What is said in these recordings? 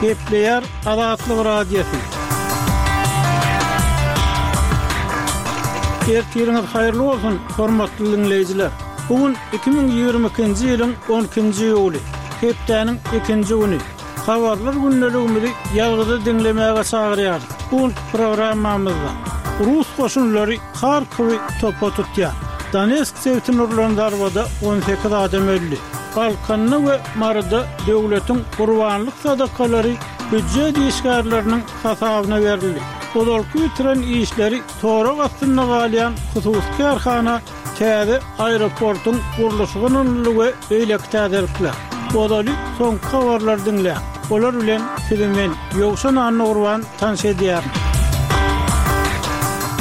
Gepleýär Azatlyk Radiosy. Ertiriňiz haýyrly bolsun, hormatly diňleýjiler! Bu gün 2022-nji ýylyň 12-nji iýuly, hepdäniň ikinji güni. Habarlar gündeligimizi ýazgyda diňlemäge çagyrýarys. Bu günki programmamyzda rus goşunlary Harkowy topa tutýar. Donetsk sebitine urlan zarbada 18 adam öldi. Balkanda we Maryda döwletiň gurbanlyk sadakalary býujet işgärleriniň hasabyna berildi. Ozalky bitiren işleri sorag astynda galýan hususy kärhana Täze aeroportuň gurluşygy ynanyldy we beýleki täzelikler. Ozaly soňky habarlary diňläň. Olar bilen sizi men, Ýowşan Annagurban tanyş edýärin.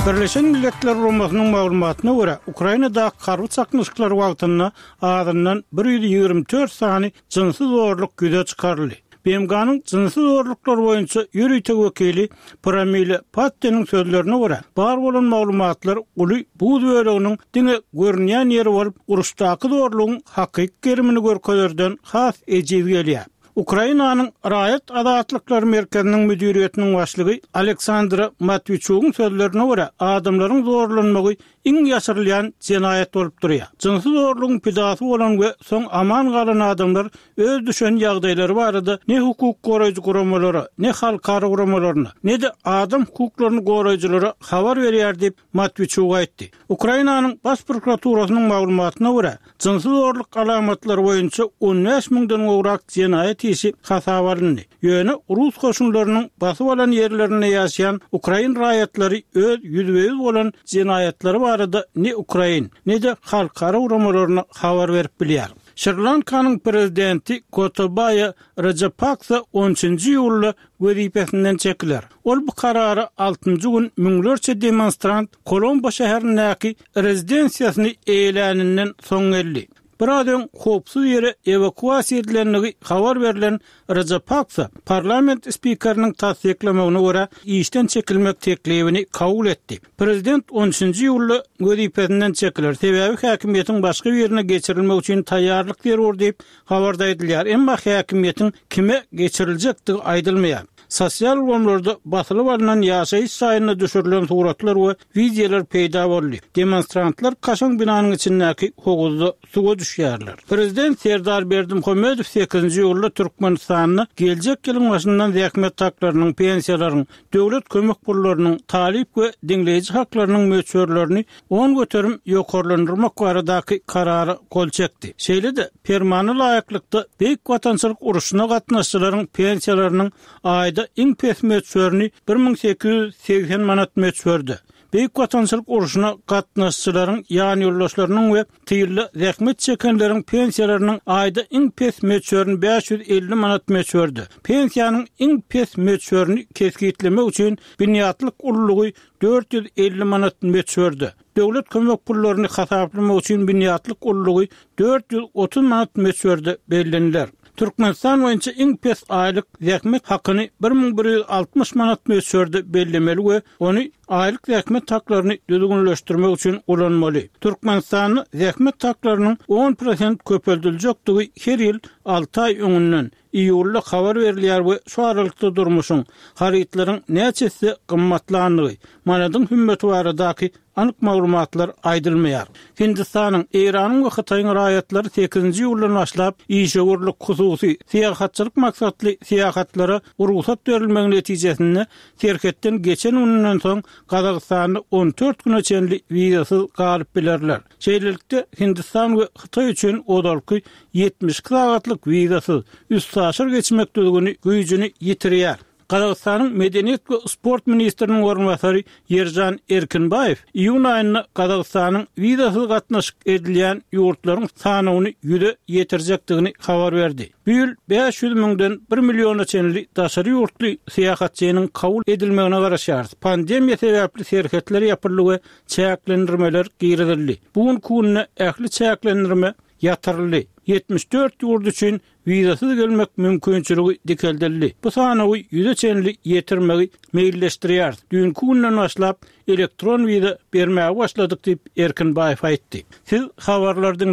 Birleşen Milletler Guramasynyň maglumatyna görä, Ukrainadaky harby çaknyşyklar wagtynda azyndan 124 sany jynsy zorluk ýüze çykaryldy. BMG-niň jynsy zorluklar boýunça ýörite wekili Pramila Patteniň sözlerine görä, bar bolan maglumatlar uly buz böleginiň diňe görünýän ýeri bolup, uruşdaky zorlugyň hakyky gerimini görkezerden has ejiz gelýär. Ukrainanyň Raýat azatlyklary merkeziniň müdiriýetiniň başlygy Aleksandra Matwiçugyň sözlerine görä, adamlaryň zorlanmagy iň ýaşyrylýan jenaýat bolup durýar. Jynsy zorlugyň pidasy bolan we soň aman galan adamlar öz düşen ýagdaýlary barada ne hukuk goraýjy guramalara, ne halkara guramalaryna, ne-de adam hukuklaryny goraýjylara habar berýär diýip, Matwiçuk aýtdy. Ukrainanyň Baş prokuraturasynyň maglumatyna görä, jynsy zorluk alamatlary boýunça 15 müňden gowrak jenaýat işi hasaba alyndy. Ýöne rus goşunlarynyň basyp alan ýerlerinde ýaşaýan ukrain raýatlary öz ýüzbe-ýüz bolan jenaýatlary barada ne ukrain, ne-de halkara guramalaryna habar berip bilýär. Şri-Lankanyň prezidenti Gotabaýa Rajapaksa on üçünji iýulda wezipesinden çekiler. Ol bu karara altynjy gün müňlerçe demonstrant Kolombo şäherindäki rezidensiýasyny eýeläninden soň geldi. Biraz öň howpsuz ýere ewakuasiýa edilendigi habar berlen Rajapaksa parlament spikeriniň tassyklamagyna görä, işden çekilmek teklibini kabul etdi. Prezident on üçünji iýulda wezipesinden çekiler, sebäbi häkimiýetiň başga birine geçirilmegi üçin taýýarlyk zerur diýip, habarda aýdylýar. Emma häkimiýetiň kime geçiriljekdigi aýdylmaýar. Sosial ulgamlarda basylyp alnan ýaşaýyş jaýynda düşürilen suratlar we wideolar peýda boldy. Demonstrantlar kaşaň binanyň içindäki howuzda suwa düşýärler. Prezident Serdar Berdimuhamedow sekizinji iýulda Türkmenistanda geljek ýylyň başyndan zähmet haklarynyň, pensiýalaryň, döwlet kömek pullarynyň, talyp we diňleýji haklarynyň möçberlerini 10% ýokarlandyrmak baradaky Karara gol çekdi. Şeýle-de, Permana laýyklykda, Beýik Watançylyk urşuna gatnaşyjylaryň pensiýalarynyň aýda iň pes möçberini 1880 manat möçberde, Beýik Watançylyk urşuna gatnaşyjylaryň ýanýoldaşlarynyň we tylda zähmet çekenleriň pensiýalarynyň aýda iň pes möçberini 550 manat möçberde, pensiýanyň iň pes möçberini kesgitlemek üçin binýatlyk ululygy 450 manat möçberde, döwlet kömek pullaryny hasaplamak üçin binýatlyk ululygy 430 manat möçberde belleniler. Türkmenistan boýunça iň pes aýlyk zähmet hakyny 1160 manat möçberde bellemeli we ony aýlyk zähmet haklaryny düzgünleşdirmek üçin ulanmaly. Türkmenistanda zähmet haklarynyň on prosent köpeldiljekdigi her ýyl alty aý öňünden, iýulda habar berilýär we şu aralykda durmuşyň, harytlaryň näçe esse gymmatlandygy, manadyň hümmeti baradaky anyk maglumatlar aýdylmaýar. Hindistanyň, Eýranyň we Hytaýyň raýatlary sekizinji iýuldan başlap işewürlik, hususy, syýahatçylyk maksatly syýahatlara rugsat berilmegi netijesinde serhetden geçen gününden soň Gazagystanda 14 güne çenli wizasyz galyp bilerler. Şeýlelikde, Hindistan we Hytaý üçin ozalky 72 sagatlyk wizasyz üstaşyr geçmek düzgüni güýjüni ýitirýär. Gazagystanyň Medeniýet we sport ministriniň orunbasary Ýeržan Erkinbaýew iýun aýynda Gazagystanyň wizasyz gatnaşyk edilýän ýurtlaryň sanawyny ýüze ýetirjekdigini habar berdi. Bu ýyl 500 müňden bir milliona çenli daşary ýurtly syýahatçynyň kabul edilmegine garaşýarys. Pandemiýa sebäpli serhetler ýapyldy we çäklendirmeler girizildi. Bu günki günde ähli çäklendirme ýatyryldy. 74 ýurt üçin wizasyz gelmek mümkinçiligi dikeldildi. Bu sanawy ýüze çenli ýetirmegi meýilleşdirýäris. Düýnki günden başlap elektron wiza bermäge başladyk diýip, Erkinbaýew aýtdy. Siz habarlary diňläp.